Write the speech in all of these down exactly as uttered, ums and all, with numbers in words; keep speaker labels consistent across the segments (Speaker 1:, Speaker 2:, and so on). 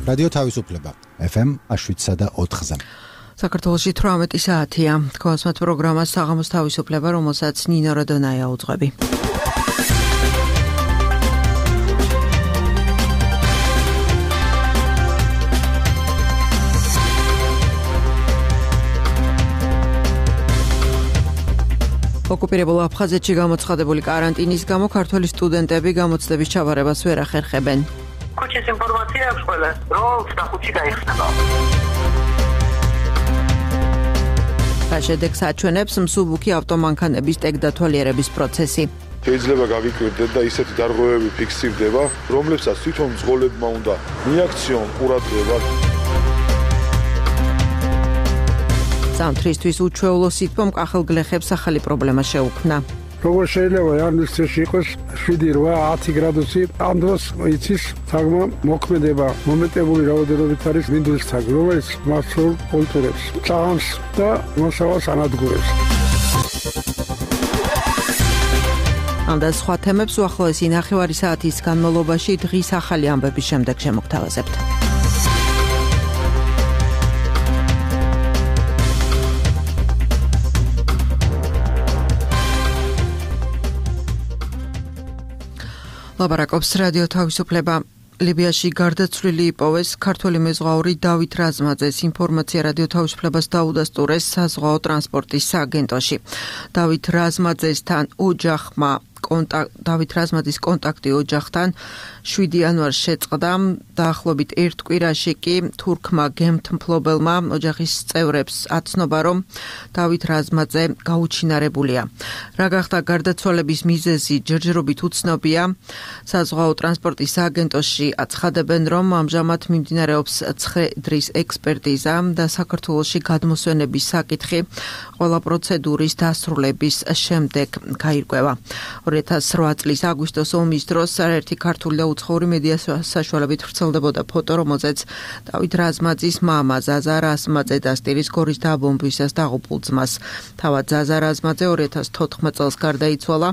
Speaker 1: რადიო თავისუფლება ეფ ემ შვიდსა და ოთხზე.
Speaker 2: საქართველოში თვრამეტი საათია. თქვენს პროგრამას საღამოს თავისუფლება, რომელსაც ნინო რადონაია უძღვები. ოკუპირებულ აფხაზეთში გამოცხადებული კარანტინის გამო ქართველი სტუდენტები გამოცდების ჩაბარებას ვერ ახერხებენ.
Speaker 3: ქუჩის ინფორმაცია აქვს ყველას, რომ ხუთი გაიხსნება.
Speaker 2: შედეგს აჩვენებს მსუბუქი ავტომანქანების ტექდათვალიერების პროცესი.
Speaker 4: შეიძლება გავიკვირდეთ და ისეთი დარღვევები ფიქსირდება, რომლებსაც თვითონ მძღოლებმა უნდა მიაქციონ ყურადღება.
Speaker 2: ზამთრისთვის უჩვეულო სითბომ კახელგლეხებს ახალი პრობლემა შეუქმნა.
Speaker 5: როგორ შეიძლება იანვრის წელს იყოს შვიდი რვა ათი გრადუსი, ამ დროს იცის თაგმა მოქმედება მომეტებული რაოდენობით არის მინდვრის თაგი, რომელიც მასშტაბურ კულტურებს წამს და მოსავალს ანადგურებს.
Speaker 2: ამ და სხვა თემებს უახლოესი ნახევარი საათის განმავლობაში დღის ახალი ამბების შემდეგ შემოგთავაზებთ. ლაპარაკობს რადიო თავისუფლება. ლიბიაში გარდაცვლილი იპოვეს ქართველი მეზღვაური დავით რაზმაძეს. ინფორმაცია რადიო თავისუფლებას დაუდასტურეს საზღვაო ტრანსპორტის სააგენტოში. დავით რაზმაძესთან ოჯახმა დავით რაზმაძის კონტაქტი ოჯახთან შვიდი იანვარს შეწყდა. დაახლოებით ერთ კვირაში კი თურქმა გემთმფლობელმა ოჯახის წევრებს აცნობა, რომ დავით რაზმაძე გაუჩინარებულია. რა გახდა გარდაცვალების მიზეზი, ჯერჯერობით უცნობია. საზღვაო ტრანსპორტის სააგენტოში აცხადებენ, რომ ამჟამად მიმდინარეობს ცხედრის ექსპერტიზა და საქართველოში გადმოსვენების საკითხი ყველა პროცედურის დასრულების შემდეგ გაირკვევა. ორი ათას რვა წლის აგვისტოს ომის დროს არაერთი ქართული და უცხოური მედია საშუალებით ვრცელდებოდა ფოტო, რომელზეც დავით რაზმაძის მამა ზაზა რაზმაძე დასტირის გორის დაბომბვისას დაღუპულ ძმას. თავად ზაზა რაზმაძე ორი ათას თოთხმეტ წელს გარდაიცვალა.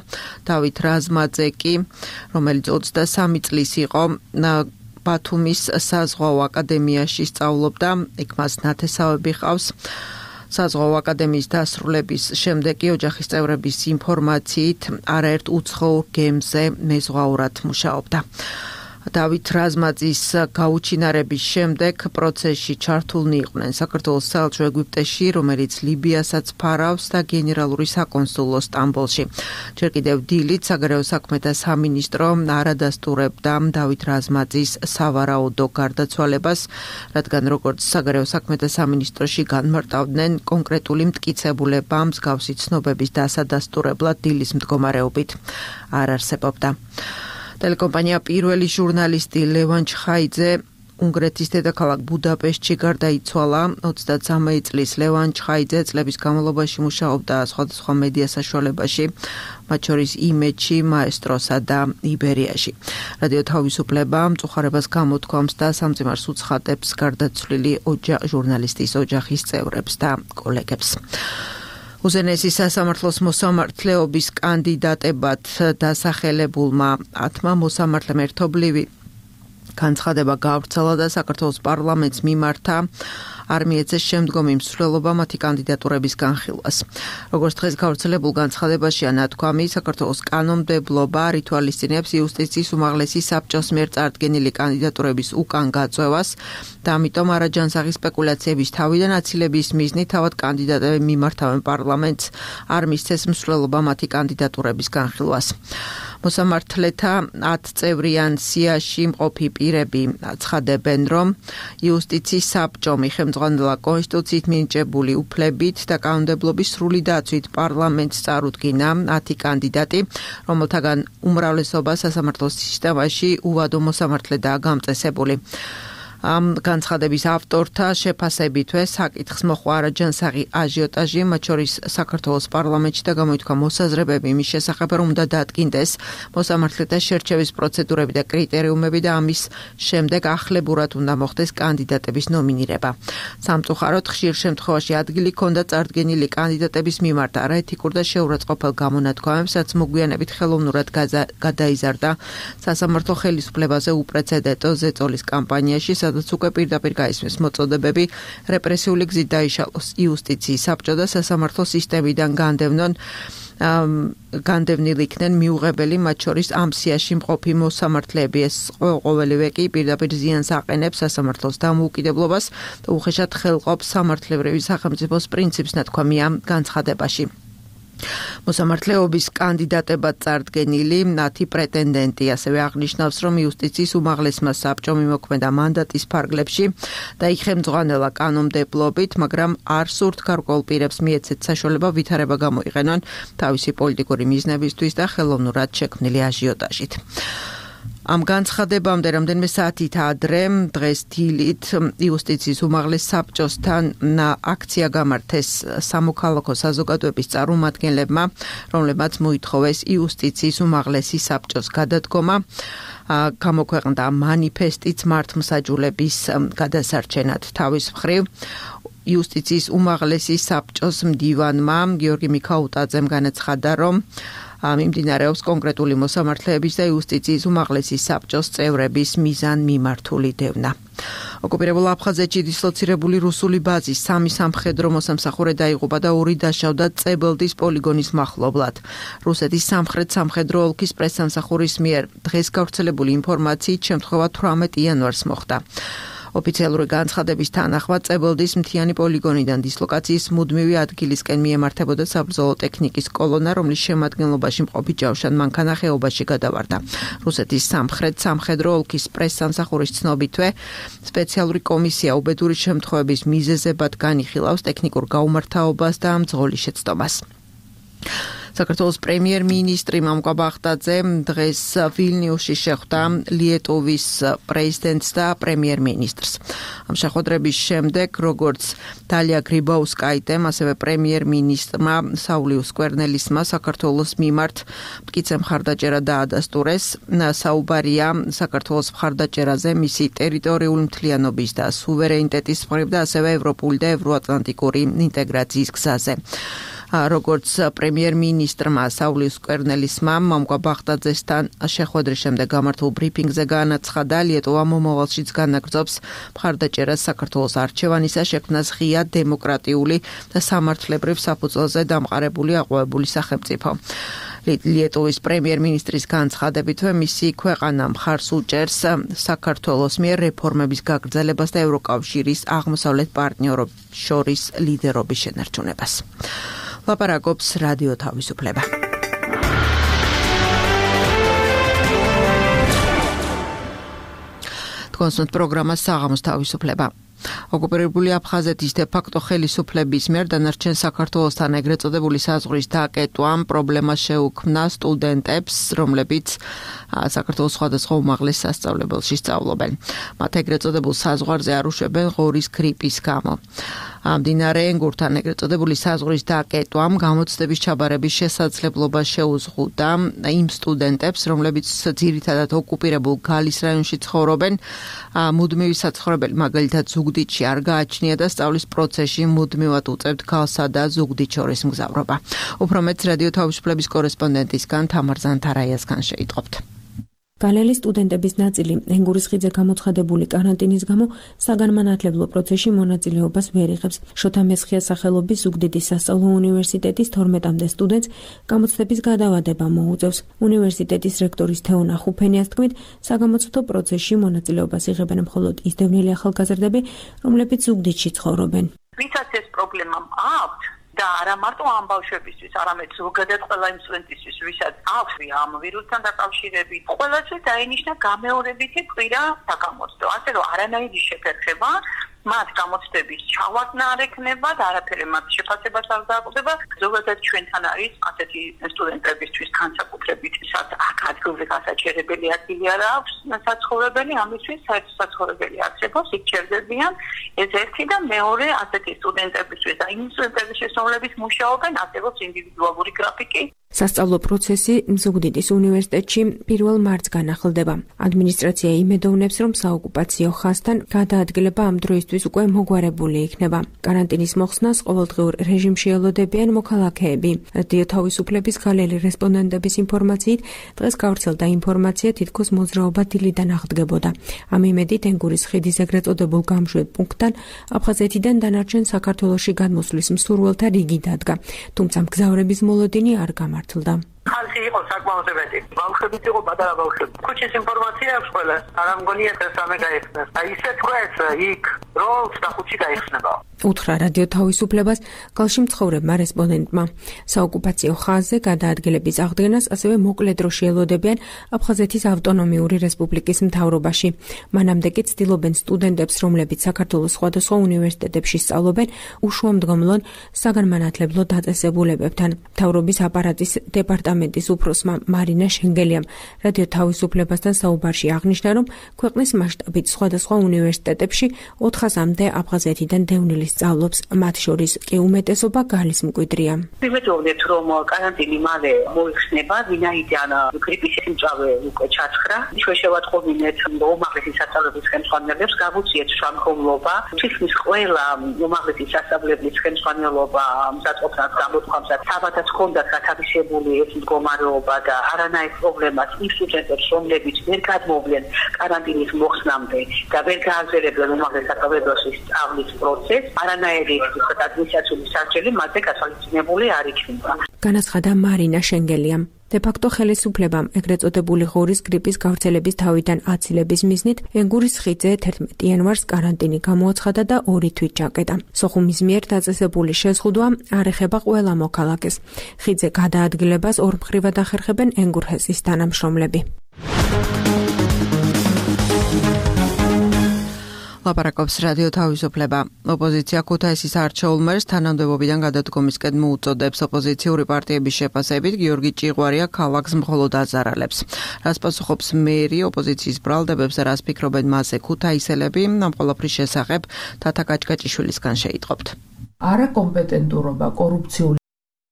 Speaker 2: დავით რაზმაძე კი, რომელიც ოცდასამი წლის იყო, ბათუმის საზღვაო აკადემიაში სწავლობდა, იქ მას ნათესავები ჰყავს. საზღვაო აკადემიის დასრულების შემდეგ ოჯახის წევრების ინფორმაციით არაერთ უცხოურ გემზე მეზღვაურად მუშაობდა. დავით რაზმაძის გაუჩინარების შემდეგ პროცესში ჩართულნი იყვნენ საქართველოს საელჩო ეგვიპტეში, რომელიც ლიბიასაც ფარავს და გენერალური საკონსულო სტამბოლში. ჯერ კიდევ დილით საგარეო საქმეთა სამინისტრო არ ადასტურებდა დავით რაზმაძის სავარაუდო გარდაცვალებას, რადგან როგორც საგარეო საქმეთა სამინისტროში განმარტავდნენ, კონკრეტული მტკიცებულება მსგავსი ცნობების დასადასტურებლად დილის მდგომარეობით არ არსებობდა. ტელეკომპანია პირველი ჟურნალისტი ლევან ჩხაიძე უნგრეთის დედაქალაქ ბუდაპეშტში გარდაიცვალა. ოცდაცამი წლის ლევან ჩხაიძე წლების განმავლობაში მუშაობდა სხვადასხვა მედია საშუალებაში, მათ შორის იმედში, მაესტროსა და იბერიაში. რადიო თავისუფლება მწუხარებას გამოთქვამს და სამძიმარს უცხადებს გარდაცვლილი ჟურნალისტის ოჯახის წევრებს და კოლეგებს. უზენაესი სასამართლოს მოსამართლეობის კანდიდატებად დასახელებულმა ათმა მოსამართლემ ერთობლივი განცხადება გაავრცელა და საქართველოს პარლამენტს მიმართა არ მიეცეს შემდგომი მსვლელობა მათი კანდიდატურების განხილვას. როგორც დღეს გავრცელებულ განცხადებაშია ნათქვამი, საქართველოს კანონმდებლობა რითვალისწინებს იუსტიციის უმაღლესი საბჭოს მიერ წარდგენილი კანდიდატურების უკან გაწევას და ამიტომ არაჯანსაღი სპეკულაციების თავიდან აცილების მიზნით თავად კანდიდატები მიმართავენ პარლამენტს არ მისცეს მსვლელობა მათი კანდიდატურების განხილვას. მოსამართლეთა ათწევრიან სიაში მყოფი პირები აცხადებენ, რომ იუსტიციის საბჭომ ხელმძღვანელა კონსტიტუციით მინიჭებული უფლებით და კანონმდებლობის სრული დაცვით პარლამენტს წარუდგინა ათი კანდიდატი, რომელთაგან უმრავლესობა სასამართლოს სისტემაში უვადო მოსამართლედაა გამწესებული. ამ განცხადების ავტორთა შეფასებითვე საკითხს მოჰყვა არაჯანსაღი აჟიოტაჟი, მათ შორის საქართველოს პარლამენტში და გამოითქვა მოსაზრებები იმის შესახებ, რომ უნდა დადგინდეს მოსამართლეთა შერჩევის პროცედურები და კრიტერიუმები და ამის შემდეგ ახლებურად უნდა მოხდეს კანდიდატების ნომინირება. სამწუხაროდ ხშირ შემთხვევაში ადგილი ჰქონდა წარდგენილი კანდიდატების მიმართ არაეთიკურ და შეურაცხყოფელ გამონათქვამებს, რაც მოგვიანებით ხელოვნურად გადაიზარდა სასამართლო ხელისუფლებაზე უპრეცედენტო ზეწოლის კამპანიაში, სადაც უკვე პირდაპირ გაისმის მოწოდებები რეპრესიული გზით დაიშალოს იუსტიციის საბჭო და სასამართლო სისტემიდან განდევნონ განდევნილ იქნენ მიუღებელი, მათ შორის ამ სიაში მყოფი მოსამართლეები. ეს ყოველივე კი პირდაპირ ზიანს აყენებს სასამართლოს დამოუკიდებლობას და უხეშად ხელყოფს სამართლებრივი სახელმწიფოს პრინციპს, ნათქვამია განცხადებაში. მოსამართლეობის კანდიდატებად წარდგენილი მათი პრეტენდენტი ასევე აღნიშნავს, რომ იუსტიციის უმაღლესმა საბჭომ იმოქმედა მანდატის ფარგლებში და იხელმძღვანელა კანონმდებლობით, მაგრამ არ სურთ გარკვეულ პირებს მიეცეთ საშუალება ვითარება გამოიყენონ თავისი პოლიტიკური მიზნებისთვის და ხელოვნურად შექმნილი აჟიოტაჟით. ამ განცხადებამდე რამდენიმე საათით ადრე დღეს დილით იუსტიციის უმაღლეს საბჭოსთან აქცია გამართეს სამოქალაქო საზოგადოების წარმომადგენლებმა, რომლებმაც მოითხოვეს იუსტიციის უმაღლესი საბჭოს გადადგომა. გამოქვეყნდა მანიფესტიც მართლმსაჯულების გადასარჩენად. თავის მხრივ იუსტიციის უმაღლესი საბჭოს მდივანმა გიორგი მიქაუტაძემ განაცხადა, რომ მიმდინარეობს კონკრეტული მოსამართლეების და იუსტიციის უმაღლესი საბჭოს წევრების მიზანმიმართული დევნა. ოკუპირებულ აფხაზეთში დისლოცირებული რუსული ბაზის სამი სამხედრო მოსამსახურე დაიღუპა და ორი დაშავდა წებელდის პოლიგონის მახლობლად. რუსეთის სამხრეთ სამხედრო ოლქის პრესსამსახურის მიერ დღეს გავრცელებული ინფორმაციით შემთხვევა თვრამეტ იანვარს მოხდა. ოფიციალური განცხადების თანახმად წებელდის მთიანი პოლიგონიდან დისლოკაციის მუდმივი ადგილისკენ მიემართებოდა საბრძოლო ტექნიკის კოლონა, რომლის შემადგენლობაში მყოფი ჯავშან მანქანა ხეობაში გადავარდა. რუსეთის სამხრეთ სამხედრო ოლქის პრესსამსახურის ცნობითვე სპეციალური კომისია უბედური შემთხვევების მიზეზებად განიხილავს ტექნიკურ გაუმართავობას და მძღოლის შეცდომას. საქართველოს პრემიერ-მინისტრი მამუკა ბახტაძე დღეს ვილნიუსში შეხვდა ლიეტუვის პრეზიდენტს და პრემიერ-მინისტრს. ამ შეხვედრების შემდეგ, როგორც დალია გრიბაუსკაიტემ, ასევე პრემიერ-მინისტრმა საულიუს კვერნელისმა საქართველოს მიმართ მტკიცე მხარდაჭერა დაადასტურეს. საუბარია საქართველოს მხარდაჭერაზე მისი ტერიტორიული მთლიანობის და სუვერენიტეტის მხრივ და ასევე ევროპული და ევროატლანტიკური ინტეგრაციის გზაზე. როგორც პრემიერ-მინისტრმა საულიუს კვერნელისმა მამუკა ბახტაძესთან შეხვედრის შემდეგ გამართულ ბრიფინგზე განაცხადა, ლიეტუვა მომავალშიც განაგრძობს მხარდაჭერას საქართველოს არჩევანისა შექმნას ღია დემოკრატიული და სამართლებრივ საფუძველზე დამყარებული აყვავებული სახელმწიფო. ლიეტუვის პრემიერ-მინისტრის განცხადებითვე მისი ქვეყანა მხარს უჭერს საქართველოს მიერ რეფორმების გაგრძელებას და ევროკავშირის აღმოსავლეთ პარტნიორებს შორის ლიდერობის შენარჩუნებას. ლაპარაკობს რადიო თავისუფლება. თქვენს პროგრამა საღამოს თავისუფლება. ოკუპირებული აფხაზეთის დე-ფაქტო ხელისუფლების მიერ დანარჩენ საქართველოსთან ეგრეთ წოდებული საზღვრის დაკეტვამ პრობლემა შეუქმნა სტუდენტებს, რომლებიც საქართველოს სხვადასხვა უმაღლეს სასწავლებელში სწავლობენ. მათ ეგრეთ წოდებულ საზღვარზე არ უშვებენ ღორის გრიპის გამო. მდინარე ენგურთან ეგრეთ წოდებული საზღვრის დაკეტვამ გამოცდების ჩაბარების შესაძლებლობა შეუზღუდა იმ სტუდენტებს, რომლებიც ძირითადად ოკუპირებულ გალის რაიონში ცხოვრობენ. მუდმივი საცხოვრებელი მაგალითად ზუგდიდში არ გააჩნია და სწავლის პროცესში მუდმივად უწევთ გალსა და ზუგდიდ შორის მგზავრობა. უფრო მეტს რადიო თავისუფლების კორესპონდენტისგან თამარ ზანთარაიასგან შეიტყობთ.
Speaker 6: გალელი სტუდენტების ნაწილი ენგურის ხიდზე გამოცხადებული კარანტინის გამო საგანმანათლებლო პროცესში მონაწილეობას ვერ იღებს. შოთა მესხიას სახელობის ზუგდიდის სასწავლო უნივერსიტეტის თორმეტამდე სტუდენტს გამოცდების გადავადება მოუწევს. უნივერსიტეტის რექტორის თეონა ხუფენიას თქმით, საგამოცდო პროცესში მონაწილეობას იღებენ მხოლოდ ისდევნილი ახალგაზრდები, რომლებიც ზუგდიდში ცხოვრობენ.
Speaker 3: ვისაც ეს პრობლემა აქვს და არა მარტო ამ ბავშვებისთვის, არამედ ზოგადად ყველა იმ სტუდენტისთვის, ვისაც აქვს ამ ვირუსთან დაკავშირებით, ყველასე დაინიშნა გამეორებითი კვირა საგამოცდო. ასე რომ არანაირი შეფერხება მათ გამოცდების ჩავარდნა არ ექნება და არაფერი მათ შეფასებას არ დააკვდება. ზოგადად ჩვენთან არის ასეთი სტუდენტებისთვის განსაკუთრებით, ვისაც აქ ადგილზე გასაჩერებელი ადგილი არ აქვს საცხოვრებელი, ამისთვის საერთო საცხოვრებელი არსებობს, იქ ჩერდებიან. ეს ერთი და მეორე ასეთი სტუდენტებისთვის და იმ სტუდენტების შესწავლების მუშაობენ არსებობს ინდივიდუალური გრაფიკი.
Speaker 6: სასწავლო პროცესი ზუგდიდის უნივერსიტეტში პირველ მარტს განახლდება. ადმინისტრაცია იმედოვნებს, რომ საოკუპაციო ხაზთან გადაადგილება ამ დროისთვის უკვე მოგვარებული იქნება. კარანტინის მოხსნას ყოველდღიურ რეჟიმში ელოდებიან მოქალაქეები. რადიო თავისუფლების გალელი რესპონდენტების ინფორმაციით, დღეს გავრცელდა ინფორმაცია, თითქოს მოძრაობა დილიდან აღდგებოდა. ამ იმედით ენგურის ხიდის ეგრეთ წოდებულ გამშვებ პუნქტთან აფხაზეთიდან დანარჩენ საქართველოში გადმოსვლის მსურველთა რიგი დადგა. თუმცა მგზავრების მოლოდინი არ გამართა.
Speaker 3: ხალხი იყო საკმაოდ მეტი. ბავშვებიც იყო პატარა ბავშვები. ქუჩის ინფორმაცია აქვს ყველა. არ ამგონია ეს რამე გაიხსნას. აი ისე თქვეს იქ როლს და ხუთი გაიხსნება.
Speaker 6: უთხრა რადიო თავისუფლებას გალში მცხოვრებმა რესპონდენტმა. საოკუპაციო ხაზზე გადაადგილების აღდგენას ასევე მოკლე დროში ელოდებიან აფხაზეთის ავტონომიური რესპუბლიკის მთავრობაში. მანამდე კი ცდილობენ სტუდენტებს, რომლებიც საქართველოს სხვადასხვა უნივერსიტეტებში სწავლობენ, უშუამდგომლონ საგანმანათლებლო დაწესებულებებთან. მთავრობის აპარატის დეპარტამენტის უფროსმა მარინა შენგელიამ რადიო თავისუფლებასთან საუბარში აღნიშნა, რომ ქვეყნის მასშტაბით სხვადასხვა უნივერსიტეტებში ოთხასამდე აფხაზეთიდან დევნილი სწავლობს, მათ შორის კი უმეტესობა გალის მკვიდრია.
Speaker 3: ვიმეძებთ, რომ კარანტინი მალე მოიხსნება, ვინაიდან გრიპის სიმწავე უკვე ჩაცხრა. ჩვენ შევატყობინეთ უმაღლესი სასწავლებლის ხელმძღვანელებს, გავუწიეთ შრომხომლობა. თითქმის ყველა უმაღლესი სასწავლებლის ხელმძღვანელობა მსაწყობთან გამოთქვამსაც საბადაც ჰქონდათ გათავისებული ეს მდგომარეობა და არანაირ პრობლემას იმ სტუდენტებს, რომლებიც ვერ გადმოვლენ კარანტინის მოხსნამდე და ვერ გააგრძელებენ უმაღლეს სასწავლებლის სწავლის პროცესს, არანაირი ადმინისტრაციული სარჩელი მათზე გათვალისწინებული არ იქნება.
Speaker 6: განაცხადა მარინა შენგელიამ. დე-ფაქტო ხელისუფლებამ ეგრეთ წოდებული ღორის გრიპის გავრცელების თავიდან აცილების მიზნით ენგურის ხიდზე თერთმეტი იანვარს კარანტინი გამოაცხადა და ორი თვით ჩაკეტა. სოხუმის მიერ დაწესებული შეზღუდვა არ ეხება ყველა მოქალაქეს. ხიდზე გადაადგილებას ორმხრივად ახერხებენ ენგურჰესის თანამშრომლები.
Speaker 2: ლაპარაკობს რადიო თავისუფლება. ოპოზიცია ქუთაისის არჩეულ მერს თანამდებობიდან გადადგომისკენ მოუწოდებს. ოპოზიციური პარტიების შეფასებით გიორგი ჭიღვარია ქალაქს მხოლოდ აზარალებს. რას პასუხობს მერი ოპოზიციის ბრალდებებს და რას ფიქრობენ მასზე ქუთაისელები, ამ ყველაფრის შესახებ თათა კაჭკაჭიშვილისგან შეიტყობთ.
Speaker 7: არაკომპეტენტურობა, კორუფციული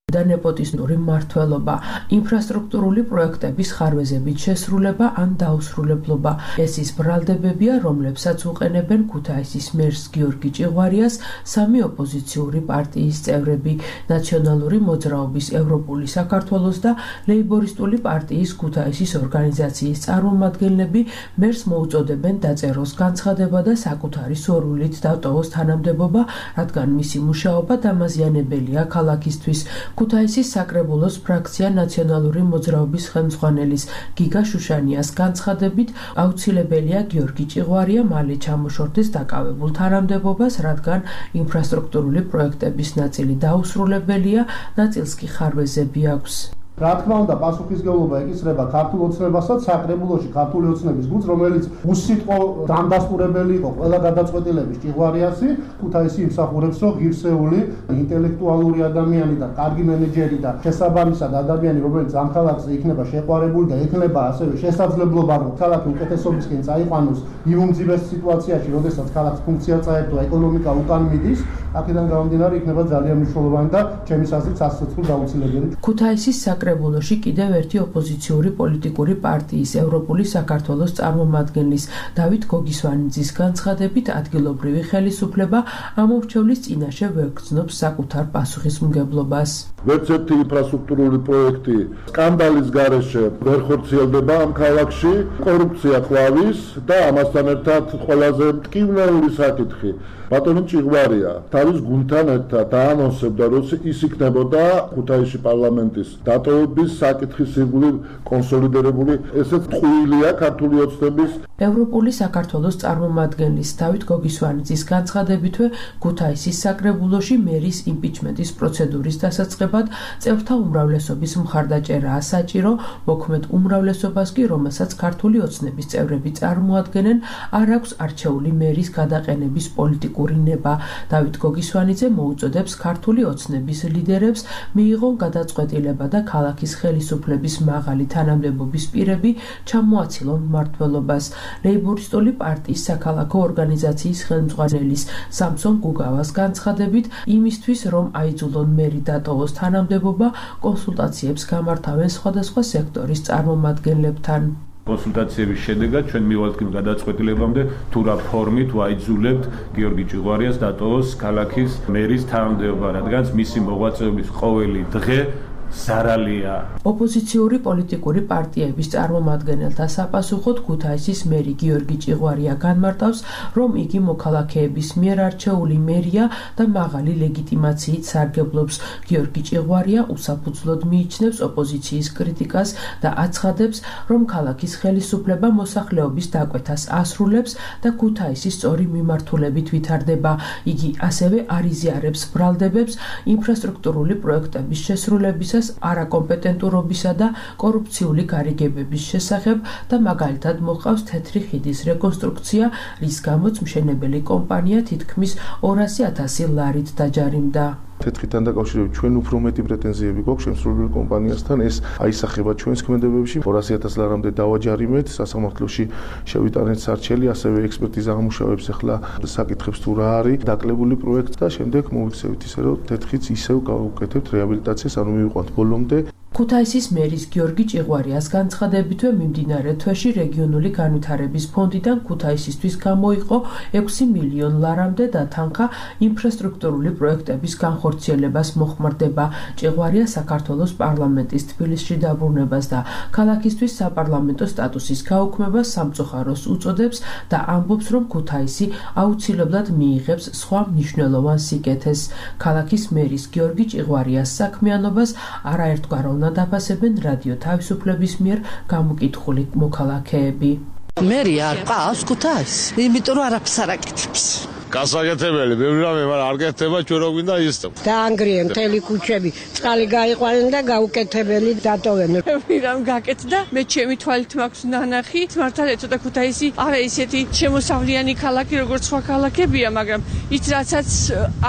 Speaker 7: და ნეპოტიზმური მმართველობა, ინფრასტრუქტურული პროექტების ხარვეზებით შესრულება ან დაუსრულებლობა. ეს ის ბრალდებებია, რომლებსაც უყენებენ ქუთაისის მერს გიორგი ჭიღვარიას სამი ოპოზიციური პარტიის წევრები, ნაციონალური მოძრაობის ევროპული საქართველოს და ლეიბორისტული პარტიის ქუთაისის ორგანიზაციის წარმომადგენლები მერს მოუწოდებენ დაწეროს განცხადება და საკუთარი სურვილით დატოვოს თანამდებობა, რადგან მისი მუშაობა დამაზიანებელია ქალაქისთვის. ქუთაისის საკრებულოს ფრაქცია ნაციონალური მოძრაობის ხელმძღვანელის გიგა შუშანიას განცხადებით აუცილებელია გიორგი ჭიღვარია მალე ჩამოშორდეს დაკავებულ თანამდებობას, რადგან ინფრასტრუქტურული პროექტების ნაწილი დაუსრულებელია, ნაწილს კი ხარვეზები აქვს.
Speaker 8: რა თქმა უნდა, პასუხისმგებლობა ეკისრება ქართულ ოცნებასაც, საკრებულოში ქართული ოცნების გუნდს, რომელიც უსიტყვო დამდასტურებელი იყო ყველა გადაწყვეტილების ჭიღვარიასი, ქუთაისი იმსახურებს, რომ ღირსეული, ინტელექტუალური ადამიანი და კარგი მენეჯერი და შესაბამისად ადამიანი, რომელიც ამ ქალაქზე იქნება შეყვარებული და ექნება ასევე შესაძლებლობა, რომ ქალაქი უკეთესობისკენ წაიყვანოს იმ უმძიმეს სიტუაციაში, როდესაც ქალაქს ფუნქცია წაერთო, ეკონომიკა უკან მიდის, აქედან გამომდინარე იქნება ძალიან მნიშვნელოვანი და ჩემის აზრით სასაცილო დაუცილებელი.
Speaker 7: ქუთაისის საკრებულოში კიდევ ერთი ოპოზიციური პოლიტიკური პარტიის ევროპული საქართველოს წარმომადგენლის დავით გოგისვანიძის განცხადებით ადგილობრივი ხელისუფლება ამორჩევლის წინაშე ვერ გრძნობს საკუთარ პასუხისმგებლობას.
Speaker 4: ვერც ერთი ინფრასტრუქტურული პროექტი სკანდალის გარეშე ვერ ხორციელდება ამ ქალაქში, კორუფცია ყვავის და ამასთან ერთად ყველაზე მტკივნეული საკითხი. ბატონი ჭიღვარია თავის გუნდთან ერთად დაანონსებდა, რომ ის იქნებოდა ქუთაისში პარლამენტის დატოვების საკითხის ირგვლივ კონსოლიდირებული, ესეც ტყუილია ქართული ოცნების.
Speaker 7: ევროპული საქართველოს წარმომადგენლის დავით გოგისვანიძის განცხადებითვე ქუთაისის საკრებულოში მერის იმპიჩმენტის პროცედურის დასაწყებად წევრთა უმრავლესობის მხარდაჭერაა საჭირო, მოქმედ უმრავლესობას კი, რომელსაც ქართული ოცნების წევრები წარმოადგენენ, არ აქვს არჩეული მერის გადაყენების პოლიტიკა. ნება. დავით გოგისვანიძე მოუწოდებს ქართული ოცნების ლიდერებს მიიღონ გადაწყვეტილება და ქალაქ ქალაქის ხელისუფლების მაღალი თანამდებობის პირები ჩამოაცილონ მმართველობას. ლეიბორისტული პარტიის საქალაქო ორგანიზაციის ხელმძღვანელის სამსონ გუგავას განცხადებით, იმისთვის რომ აიძულონ მერი დატოვოს თანამდებობა, კონსულტაციებს გამართავენ სხვადასხვა სექტორის წარმომადგენლებთან.
Speaker 9: კონსულტაციების შედეგად ჩვენ მივალთ იმ გადაწყვეტილებამდე, თუ რა ფორმით ვაიძულებთ გიორგი ჭიღვარიას დატოვოს ქალაქის მერის თანამდებობა, რადგანაც მისი მოღვაწეობის ყოველი დღე ზარალია.
Speaker 7: ოპოზიციური პოლიტიკური პარტიების წარმომადგენელთა საპასუხოდ ქუთაისის მერი გიორგი ჭიღვარია განმარტავს, რომ იგი მოქალაქეების მიერ არჩეული მერია და მაღალი ლეგიტიმაციით სარგებლობს. გიორგი ჭიღვარია უსაფუძვლოდ მიიჩნევს ოპოზიციის კრიტიკას და აცხადებს, რომ ქალაქის ხელისუფლება მოსახლეობის დაკვეთას ასრულებს და ქუთაისის სწორი მიმართულებით ვითარდება. იგი ასევე არ იზიარებს ბრალდებებს ინფრასტრუქტურული პროექტების შესრულებისას არაკომპეტენტურობისა და კორუფციული გარიგებების შესახებ და მაგალითად მოყავს თეთრი ხიდის რეკონსტრუქცია, რის გამოც მშენებელი კომპანია თითქმის ორასი ათასი ლარით დაჯარიმდა.
Speaker 10: თეთრთან დაკავშირებით ჩვენ უფრო მეტი პრეტენზიები გვაქვს შემსრულებელი კომპანიასთან, ეს აისახება ჩვენს ქმედებებში. ორასი ათას ლარამდე დავაჯარიმეთ, სასამართლოში შევიტანეთ სარჩელი, ასევე ექსპერტიზა ამუშავებს ახლა საკითხებს თუ რა არის დაკლებული პროექტი და შემდეგ მოვიქცევით ისე რომ თეთრიც ისევ გავუკეთებთ რეაბილიტაციას, ანუ მივიყვანთ ბოლომდე.
Speaker 7: ქუთაისის მერის გიორგი ჭიღვარიას განცხადებითვე მიმდინარე თვეში რეგიონული განვითარების ფონდიდან ქუთაისისთვის გამოიყო ექვსი მილიონ ლარამდე დათანხა ინფრასტრუქტურული პროექტების განხორციელებას მოხმარდება. ჭიღვარია საქართველოს პარლამენტის თბილისში დაბრუნებას და ქალაქისთვის საპარლამენტო სტატუსის გაუქმებას სამწუხაროს უწოდებს და ამბობს, რომ ქუთაისი აუცილებლად მიიღებს სხვა მნიშვნელოვან სიკეთეს. ქალაქის მერის გიორგი ჭიღვარიას საქმიანობას არაერთგვაროვნად დაფასებენ რადიო თავისუფლების მიერ გამოკითხული მოქალაქეები.
Speaker 11: მერი არ ყავს ქუთაისს, იმიტომ რომ არაფერს არ აკეთებს.
Speaker 12: გასაკეთებელი, ბევრი რამე, მაგრამ არ გეთება, ჩვენ რო გვინდა ისწო.
Speaker 13: დაანგრიენ მთელი ქუჩები, წყალი გაიყვანენ და გაუკეთებელი დატოვენ.
Speaker 14: ბევრი რამ გაკეთდა, მე ჩემი თვალით მაქვს ნანახი, მართალ ეცოდა ქუთაისი არა ისეთი შემოსავლიანი ქალაქი, როგორც სხვა ქალაქებია, მაგრამ ის რაცაც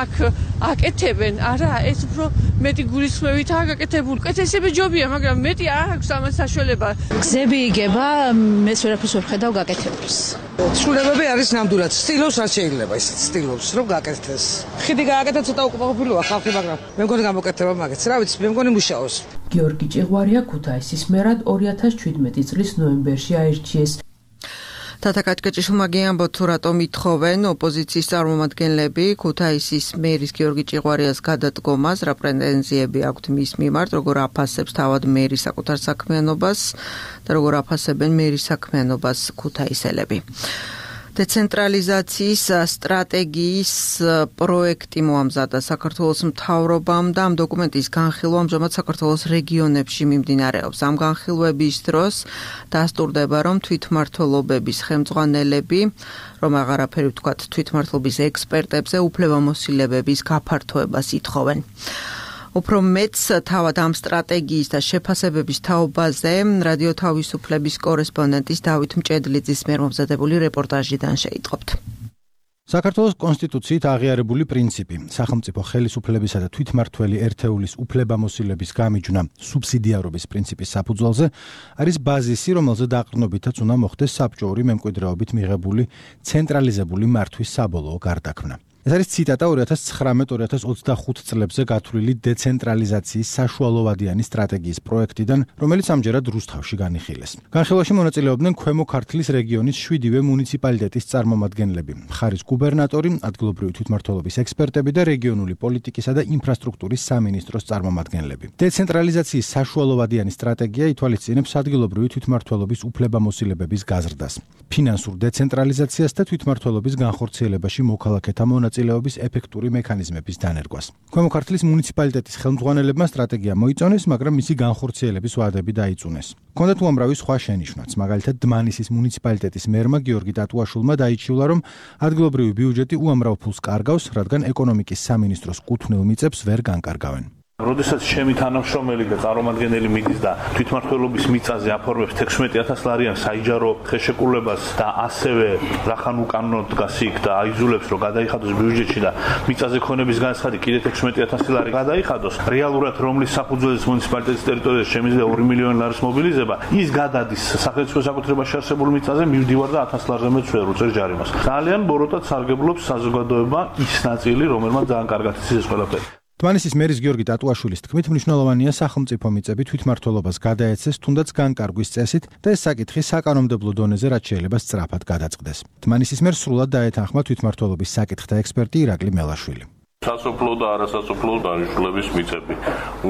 Speaker 14: აქ აკეთებენ, არა, ეს უფრო მეტი გულისხმევითაა გაკეთებული. კეთესები ჯობია, მაგრამ მეტი არ აქვს ამას საშუალება.
Speaker 11: გზები იგება, მეც ვერაფერს ვერ ხედავ გაკეთებულს.
Speaker 15: ცვლილებები არის ნამდვილად, სტილოს არ შეიძლება ისეთ სტილოს, რომ გაკეთდეს. ხიდი გააკეთა ცოტა უკმაყოფილოა ხალხი, მაგრამ მე მგონი გამოკეთება მაგაც. რა ვიცი, მე მგონი მუშაობს.
Speaker 7: გიორგი ჭიღვარია ქუთაისის მერად ორი ათას შვიდმეტი წლის ნოემბერში აირჩიეს.
Speaker 2: თათა კაჭკაჭიშვილმა ამბობთ, თუ რატომ ითხოვენ ოპოზიციის წარმომადგენლები ქუთაისის მერის გიორგი ჭიღვარიას გადადგომას, რა პრეტენზიები აქვთ მის მიმართ, როგორ აფასებს თავად მერის საკუთარ საქმიანობას და როგორ აფასებენ მერის საქმიანობას ქუთაისელები. დეცენტრალიზაციის სტრატეგიის პროექტი მოამზადა საქართველოს მთავრობამ და ამ დოკუმენტის განხილვა ამჟამად საქართველოს რეგიონებში მიმდინარეობს. ამ განხილვების დროს დასტურდება, რომ თვითმმართველობების ხელმძღვანელები, რომ აღარაფერი ვთქვათ თვითმმართველობის ექსპერტებზე უფლებამოსილებების გაფართოებას ითხოვენ. უფრო მეც თავად ამ სტრატეგიის და შეფასებების თაობაზე რადიო თავისუფლების კორესპონდენტის დავით მჭედლიძის მიერ მომზადებული რეპორტაჟიდან შეიტყობთ.
Speaker 1: საქართველოს კონსტიტუციით აღიარებული პრინციპი, სახელმწიფო ხელისუფლებისა და თვითმმართველი ერთეულის უფლებამოსილების გამიჯვნა სუბსიდიარობის პრინციპის საფუძველზე არის ბაზისი, რომელზე დაყრდნობითაც უნდა მოხდეს საბჭოური მემკვიდრეობით მიღებული ცენტრალიზებული მართვის საბოლოო გარდაქმნა. ეს არის ციტატა ორი ათას ცხრამეტ ორი ათას ოცდახუთ წლებზე გათვლილი დეცენტრალიზაციის საშუალოვადიანი სტრატეგიის პროექტიდან, რომელიც ამჯერად რუსთავში განიხილეს. განხილვაში მონაწილეობდნენ ქვემო ქართლის რეგიონის შვიდივე მუნიციპალიტეტის წარმომადგენლები, მხარის გუბერნატორი, ადგილობრივი თვითმმართველობის ექსპერტები და რეგიონული პოლიტიკისა და ინფრასტრუქტურის სამინისტროს წარმომადგენლები. დეცენტრალიზაციის საშუალოვადიანი სტრატეგია ითვალისწინებს ადგილობრივი თვითმმართველობის უფლებამოსილებების გაზრდას, ფინანსურ დეცენტრალიზაციას და თვითმმართველობის განხორციელებაში მოქალაქეთა მონაწილეობის ეფექტური მექანიზმების დანერგვას. ქვემო ქართლის მუნიციპალიტეტის ხელმძღვანელებმა სტრატეგია მოიწონეს, მაგრამ მისი განხორციელების ვადები დაიწუნეს. ჰქონდათ უამრავი სხვა შენიშვნაც, მაგალითად დმანისის მუნიციპალიტეტის მერმა გიორგი ტატუაშვილმა დაიჩივლა, რომ ადგილობრივი ბიუჯეტი უამრავ ფულს კარგავს, რადგან ეკონომიკის სამინისტროს კუთვნილ მიწებს ვერ განკარგავენ.
Speaker 9: როდესაც ჩემი თანამშრომელი და წარმომადგენელი მიდის და თვითმმართველობის მიწაზე აფორმებს თექვსმეტი ათას ლარიან საიჯარო ხელშეკრულებას და ასევე რახან უკანონო დგას იქ და აიძულებს რომ გადაიხადოს ბიუჯეტში და მიწაზე ქონების განცხადი კიდე თექვსმეტი ათასი ლარი გადაიხადოს, რეალურად რომლის საფუძველზე მუნიციპალიტეტის ტერიტორიაზე შემიძლია ორი მილიონი ლარის მობილიზება, ის გადადის სახელმწიფო საკუთრებაში არსებულ მიწაზე, მივდივარ და ათას ლარზე მეც ვერ უწერ ჯარიმას. ძალიან ბოროტად სარგებლობს საზოგადოება ის ნაწილი, რომელმაც ძალიან კარგად იცის ეს ყველაფერი.
Speaker 1: თბილისის მერის გიორგი ტატუაშვილის თქმით, მნიშვნელოვანია სახელმწიფო მიწები თვითმმართველობას გადაეცეს თუნდაც განკარგვის წესით და ეს საკითხი საკანონმდებლო დონეზე რაც შეიძლება სწრაფად გადაწყდეს. თბილისის მერს სრულად დაეთანხმა თვითმმართველობის საკითხთა ექსპერტი ირაკლი მელაშვილი.
Speaker 16: სასოფლო და არასასოფლო დანიშნულების მიწები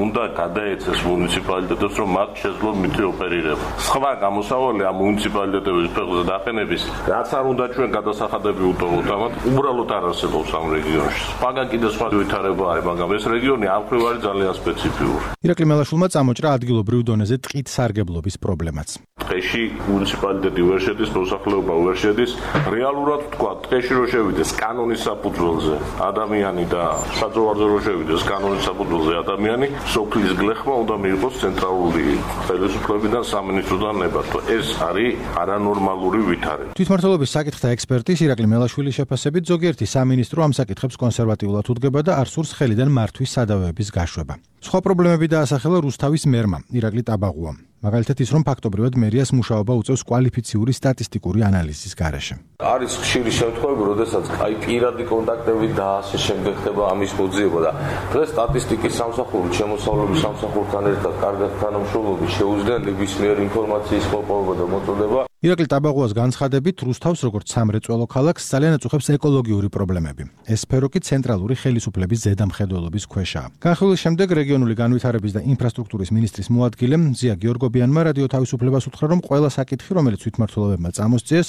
Speaker 16: უნდა გადაეცეს მუნიციპალიტეტებს, რომ მათ შეძლო მითი ოპერირება. სხვა გამოსავალი ამ მუნიციპალიტეტების ფეხზე დაყენების, რაც არ უნდა ჩვენ გადასახადები უტოვოთ, ამათ უბრალოდ არ არსებობს ამ რეგიონში. მაგან კიდე სხვა ვითარება არის, მაგრამ ეს რეგიონი ამ მხრივ არის ძალიან სპეციფიური.
Speaker 1: ირაკლი მელაშვილმა წამოჭრა ადგილობრივ დონეზე ტყით სარგებლობის პრობლემაც.
Speaker 16: ტყეში მუნიციპალიტეტი ვერ შედის, მოსახლეობა ვერ შედის. რეალურად ვთქვა, ტყეში რო შევიდეს კანონის საფუძველზე ადამიანი და საძოვარზე რო შევიდეს კანონის საფუძველზე ადამიანი, სოფლის გლეხმა უნდა მიიღოს ცენტრალური ხელისუფლებიდან სამინისტროდან ნებართვა. ეს არის არანორმალური ვითარება.
Speaker 1: თვითმმართველობის საკითხთა ექსპერტის ირაკლი მელაშვილის შეფასებით ზოგიერთი სამინისტრო ამ საკითხებს კონსერვატიულად უდგება და არ სურს ხელიდან მართვის სადავეების გაშვება. სხვა პრობლემები დაასახელა რუსთავის მერმა ირაკლი ტაბაღუამ. მაგალითად ის, რომ ფაქტობრივად მერიას მუშაობა უწევს კვალიფიციური სტატისტიკური ანალიზის გარეშე.
Speaker 16: არის ხშირი შემთხვევები, როდესაც აი პირადი კონტაქტები და ასე შემდეგ ხდება ამის მოძიება და დღეს სტატისტიკის სამსახური შემოსავლების სამსახურთან ერთად კარგად თანამშრომლობით შეუძლია ნებისმიერ ინფორმაციის მოპოვება და მოწოდება.
Speaker 1: ირაკლი ტაბაღუას განცხადებით, რუსთავს როგორც სამრეწველო ქალაქს ძალიან აწუხებს ეკოლოგიური პრობლემები. ეს სფერო კი ცენტრალური ხელისუფლების ზედამხედველობის ქვეშაა. განხილვის შემდეგ რეგიონული განვითარების და ინფრასტრუქტურის მინისტრის მოადგილე მზია გიორგობიანმა რადიო თავისუფლებას უთხრა, რომ ყველა საკითხი, რომელიც თვითმმართველობებმა წამოსწიეს,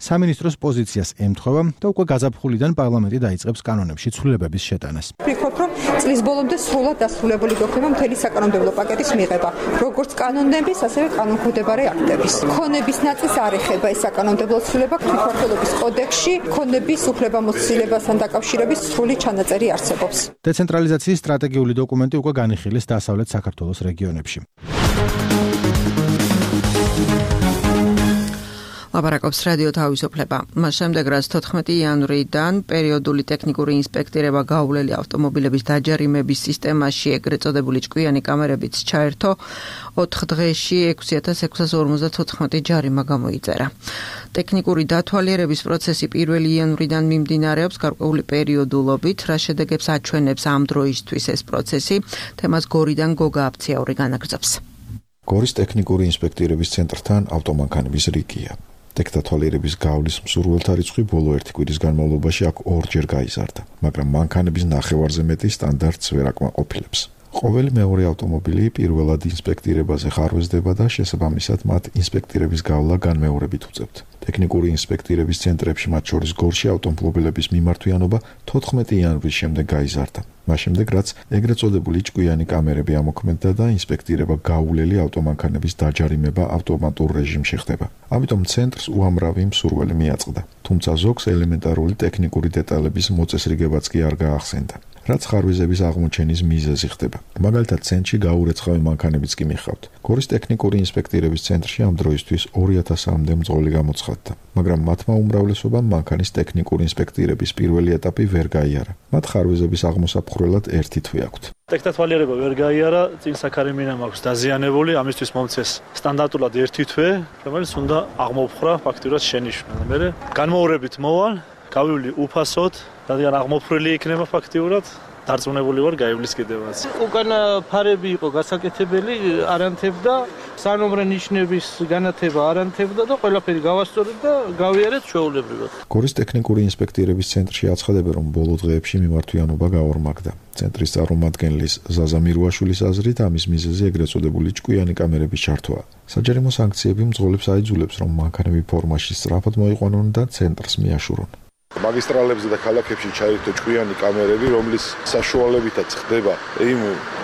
Speaker 1: სამინისტროს პოზიციას ემთხვევა და უკვე გაზაფხულიდან პარლამენტი დაიწყებს კანონებში ცვლილებების შეტანას.
Speaker 17: ვფიქრობ, რომ წლის ბოლომდე სრულად დასრულებული გახდება მთელი საკანონმდებლო პაკეტის მიღება, როგორც კანონების, ასევე კანონქვემდებარე აქტების. ქონების ნაწილს არ ეხება ეს საკანონმდებლო ცვლილება, თვითმმართველობის კოდექსში ქონების უფლებამოსილებასთან დაკავშირების სრული ჩანაწერი არსებობს.
Speaker 1: დეცენტრალიზაციის სტრატეგიული დოკუმენტი უკვე განიხილეს დასავლეთ საქართველოს რეგიონებში.
Speaker 2: ლაპარაკობს რადიო თავისუფლება. მას შემდეგ, რაც თოთხმეტი იანვრიდან პერიოდული ტექნიკური ინსპექტირება გაუვლელი ავტომობილების დაჯარიმების სისტემაში ეგრეთ წოდებული ჭკვიანი კამერებიც ჩაერთო, ოთხ დღეში ექვსი ათას ექვსას ორმოცდათოთხმეტი ჯარიმა გამოიწერა. ტექნიკური დათვალიერების პროცესი პირველი იანვრიდან მიმდინარეობს გარკვეული პერიოდულობით, რა შედეგებს აჩვენებს ამ დროისთვის ეს პროცესი, თემას გორიდან გოგა აფციაური განაგრძობს.
Speaker 18: გორის ტექნიკური ინსპექტირების ცენტრთან ავტომანქანების რიგია. ტექნათვალიერების გავლის მსურველთა რიცხვი ბოლო ერთი კვირის განმავლობაში აქ ორჯერ გაიზარდა, მაგრამ მანქანების ნახევარზე მეტი სტანდარტს ვერ აკმაყოფილებს. ყოველი მეორე ავტომობილი პირველად ინსპექტირებაზე ხარვეზდება და შესაბამისად მათ ინსპექტირების გავლა განმეორებით უწევთ. ტექნიკური ინსპექტირების ცენტრებში, მათ შორის გორში ავტომობილების მიმართვიანობა თოთხმეტი იანვრის შემდეგ გაიზარდა. მას შემდეგ, რაც ეგრეთ წოდებული ჭკვიანი კამერები ამოქმედდა და ინსპექტირება გაუვლელი ავტომანქანების დაჯარიმება ავტომატურ რეჟიმში ხდება. ამიტომ ცენტრს უამრავი მსურველი მიაწყდა, თუმცა ზოგს ელემენტარული ტექნიკური დეტალების მოწესრიგებაც კი არ გაახსენდა. რაც ხარვეზების აღმოჩენის მიზეზი ხდება. მაგალითად, ცენტრში გაურეცხავი მანქანებიც კი მიხავთ. გორის ტექნიკური ინსპექტირების ცენტრში ამ დროისთვის ორი ათასამდე მძღოლი გამოცხადდა, მაგრამ მათმა უმრავლესობამ მანქანის ტექნიკური ინსპექტირების პირველი ეტაპი ვერ გაიარა. მათ ხარვეზების აღმოსაფხვრელად ერთი თვე აქვთ.
Speaker 19: ტექნათვალიერება ვერ გაიარა, წინ საქარემინა მაქვს დაზიანებული, ამისთვის მომწეს სტანდარტულად ერთი თვე, რომელიც უნდა აღმოფხრა ფაქტურად შენიშვნა. მე განმოურებით მოვალ, გავივლი უფასოდ, რადგან აღმოფხრილი იქნება ფაქტიურად, დარწმუნებული ვარ გაივლის კიდევაც. უკანა ფარები იყო გასაკეთებელი, არანთებდა, სანომრე ნიშნების განათება არანთებდა და ყველაფერი გავასწორეთ და გავიარეთ ჩვეულებრივად.
Speaker 18: გორის ტექნიკური ინსპექტირების ცენტრში აცხადებენ, რომ ბოლო დღეებში მიმართვიანობა გაორმაგდა. ცენტრის წარმომადგენლის ზაზა მირუაშვილის აზრით, ამის მიზეზი ეგრეთ წოდებული ჭკვიანი კამერების ჩართვაა. საჯარიმო სანქციები მძღოლებს აიძულებს, რომ მანქანები ფორმაში სწრაფად მოიყვანონ და ცენტრს მიაშურონ.
Speaker 10: მაგისტრალებზე და ქალაქებში ჩაერთო ჭკვიანი კამერები, რომლის საშუალებითაც ხდება იმ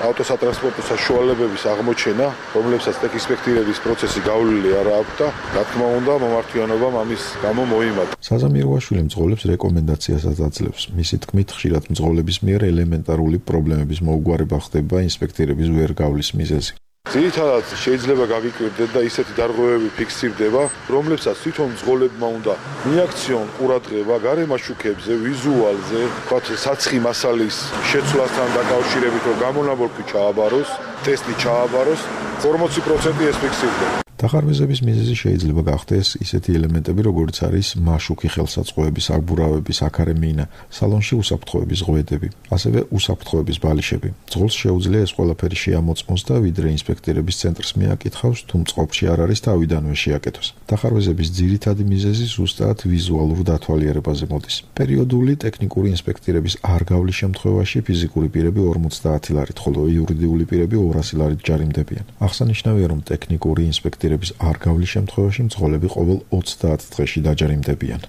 Speaker 10: ავტოსატრანსპორტო საშუალებების აღმოჩენა, რომლებსაც ტექინსპექტირების პროცესი გავლილი არ აქვს და რა თქმა უნდა მომართვიანობამ ამის გამო მოიმატა.
Speaker 18: საზამიროაშვილი მძღოლებს რეკომენდაციასაც აძლევს. მისი თქმით, ხშირად მძღოლების მიერ ელემენტარული პრობლემების მოუგვარება ხდება ინსპექტირების ვერ გავლის მიზეზი.
Speaker 10: ძირითადად შეიძლება გაგიკვირდეთ და ისეთი დარღვევები ფიქსირდება, რომლებსაც თვითონ მძღოლებმა უნდა მიაქციონ ყურადღება გარემაშუქებზე, ვიზუალზე, თქვათ საცხი მასალის შეცვლასთან დაკავშირებით, რომ გამონაბოლქვი ჩააბაროს, ტესტი ჩააბაროს, ორმოცი პროცენტი ეს ფიქსირდება.
Speaker 18: დახარვეზების მიზეზი შეიძლება გახდეს ისეთი ელემენტები, როგორც არის მაშუქი ხელსაწყოების, აგბურავების, აქარემინა, სალონში უსაფრთხოების ღვედები, ასევე უსაფრთხოების ბალიშები. მძღოლს შეუძლია ეს ყველაფერი შეამოწმოს და ვიდრე ინსპექტირების ცენტრს მიაკითხავს, თუ მწყობში არ არის თავიდანვე შეაკეთოს. დახარვეზების ძირითადი მიზეზი ზუსტად ვიზუალურ დათვალიერებაზე მოდის. პერიოდული ტექნიკური ინსპექტირების არ გავლის შემთხვევაში ფიზიკური პირები ორმოცდაათი ლარით, ხოლო იურიდიული პირები ორასი ლარით ჯარიმდებიან. აღსანიშნავია, რომ ტექნიკური ინსპექტირების არ გავლის შემთხვევაში მძღოლები ყოველ ოცდაათ დღეში დაჯარიმდებიან.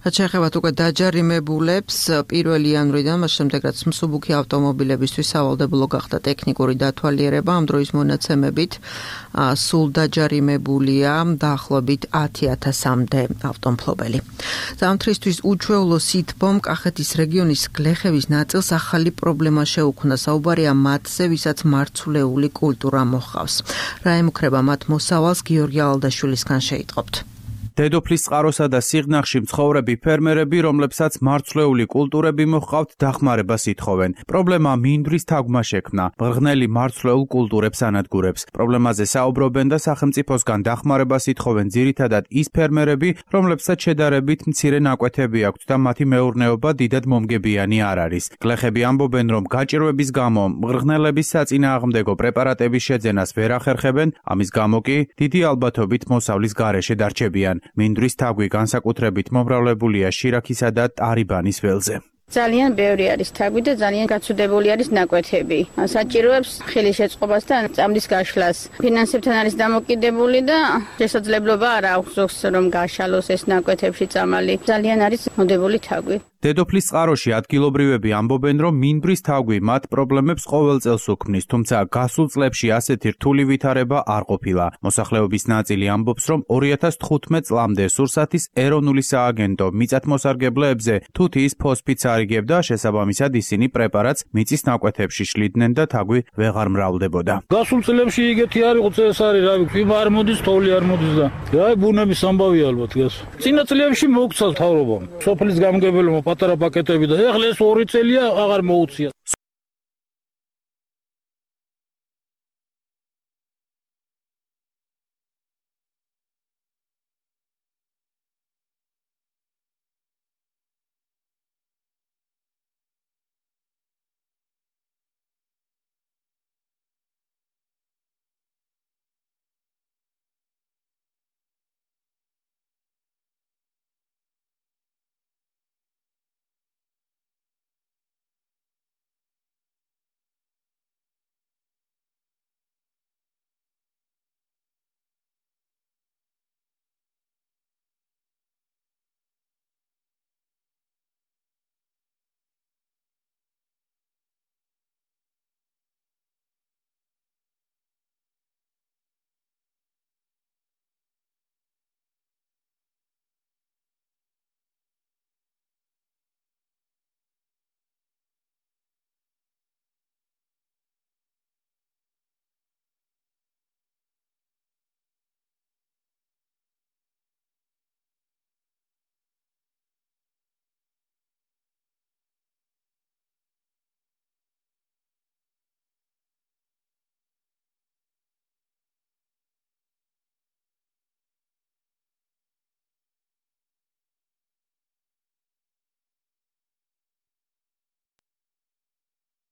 Speaker 2: რაც შეეხება უკვე დაჯარიმებულებს, პირველი იანვრიდან, მას შემდეგ რაც მსუბუქი ავტომობილებისთვის სავალდებულო გახდა ტექნიკური დათვალიერება, ამ დროის მონაცემებით სულ დაჯარიმებულია დაახლოებით ათი ათასამდე ავტომფლობელი. ზამთრისთვის უჩვეულო სითბომ კახეთის რეგიონის გლეხების ნაწილს ახალი პრობლემა შეუქმნა. საუბარია მათზე, ვისაც მარცვლეული კულტურა მოჰყავს. რა ემუქრება მათ მოსავალს, გიორგი ალდაშვილისგან შეიტყობთ.
Speaker 20: დედოფლის წყაროსა და სიღნაღში მცხოვრები ფერმერები, რომლებსაც მარცვლეული კულტურები მოჰყავთ, დახმარებას ითხოვენ. პრობლემა მინდვრის თაგვმა შექმნა. მღრღნელი მარცვლეულ კულტურებს ანადგურებს. პრობლემაზე საუბრობენ და სახელმწიფოსგან დახმარებას ითხოვენ ძირითადად ის ფერმერები, რომლებსაც შედარებით მცირე ნაკვეთები აქვთ და მათი მეურნეობა დიდად მომგებიანი არ არის. გლეხები ამბობენ, რომ გაჭირვების გამო მღრღნელების საწინააღმდეგო პრეპარატების შეძენას ვერ ახერხებენ, ამის გამო კი დიდი ალბათობით მოსავლის გარეშე დარჩებიან. მინდვრის თაგვი განსაკუთრებით მომრავლებულია შირაქისა და ტარიბანის ველზე.
Speaker 21: ძალიან ბევრი არის თაგვი და ძალიან გაცუდებული არის ნაკვეთები. საჭიროებს ხილის შეწყობას და წამლის გაშლას. ფინანსებთან არის დამოკიდებული და შესაძლებლობა არ აქვს ზოგს რომ გაშალოს ეს ნაკვეთებში წამალი. ძალიან არის მოდებული თაგვი.
Speaker 20: დედოფლის წყაროში ადგილობრივები ამბობენ, რომ მინდვრის თაგვი მათ პრობლემებს ყოველ წელს უქმნის, თუმცა გასულ წლებში ასეთი რთული ვითარება არ ყოფილა. მოსახლეობის ნაწილი ამბობს, რომ ორი ათას თხუთმეტ წლამდე სურსათის ეროვნული სააგენტო მიწათმოსარგებლეებზე თუთიის ფოსფიტს არიგებდა, შესაბამისად ისინი პრეპარატს მიწის ნაკვეთებში შლიდნენ და თაგვი ვეღარ მრავლდებოდა.
Speaker 22: გასულ წლებში იგეთი არ იყო წესარი, რა ვიცი, ფიმა არ მოდის, თოვლი არ მოდის და აი ბუნების ამბავი ალბათ გას. წინა წლებში მოუქცა მთავრობამ. სოფლის გამგებელმა პატარა პაკეტები და ეხლა ეს ორი წელია აღარ მოუწია.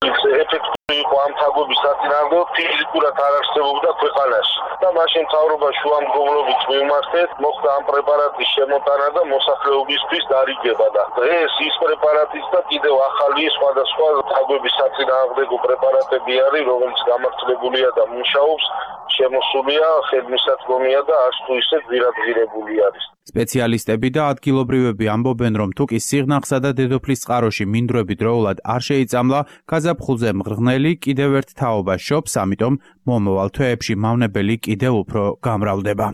Speaker 23: It's
Speaker 4: იყო ამ თაგვების საწინააღმდეგო ფიზიკურად არ არსებობდა ქვეყანაში და მაშინ მთავრობა შუამდგომლობით მიმართეთ, მოხდა ამ პრეპარატის შემოტანა და მოსახლეობისთვის დარიგება და დღეს ის პრეპარატიც და კიდევ ახალი სხვადასხვა თაგვების საწინააღმდეგო პრეპარატები არის, რომელიც გამართლებულია და მუშაობს, შემოსულია, ხელმისაწვდომია და არც თუ ისე ძირადღირებული არის.
Speaker 20: სპეციალისტები და ადგილობრივები ამბობენ, რომ თუკი სიღნაღსა და დედოფლის წყაროში მინდვრები დროულად არ შეიწამლა, გაზაფხულზე მღრღნელი კიდევ ერთ თაობას შობს, ამიტომ მომავალ თვეებში მავნებელი კიდევ უფრო გამრავლდება.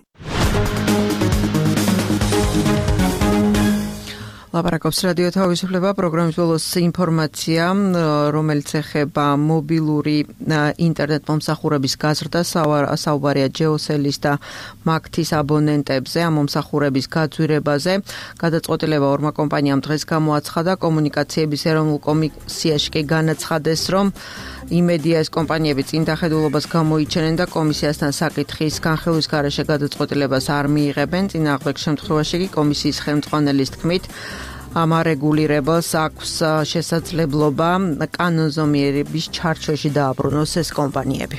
Speaker 2: ლაპარაკობს რადიო თავისუფლება პროგრამის ბოლოს ინფორმაცია, რომელიც ეხება მობილური ინტერნეტ მომსახურების გაზრდას, საუბარია ჯეოსელის და მაგთის აბონენტებზე, ამ მომსახურების გაძვირებაზე. გადაწყვეტილება ორმა კომპანიამ დღეს გამოაცხადა, კომუნიკაციების ეროვნულ კომისიაში კი განაცხადეს, რომ იმედია ეს კომპანიები წინ დახედულობას გამოიჩენენ და კომისიასთან საკითხის განხილვის გარეშე გადაწყვეტილებას არ მიიღებენ. წინააღმდეგ შემთხვევაში კი კომისიის ხელმძღვანელის თქმით, ამ არეგულირებას აქვს შესაძლებლობა კანონზომიერების ჩარჩოში დააბრუნოს ეს კომპანიები.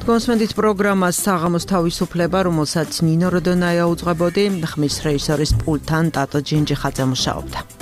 Speaker 2: თქვენსმენდით პროგრამას საღამოს თავისუფლება, რომელსაც ნინო როდონაია უძღვებოდი, ხმის რეჟისორის პულტთან ტატო ჯინჯიხაძე მუშაობდა.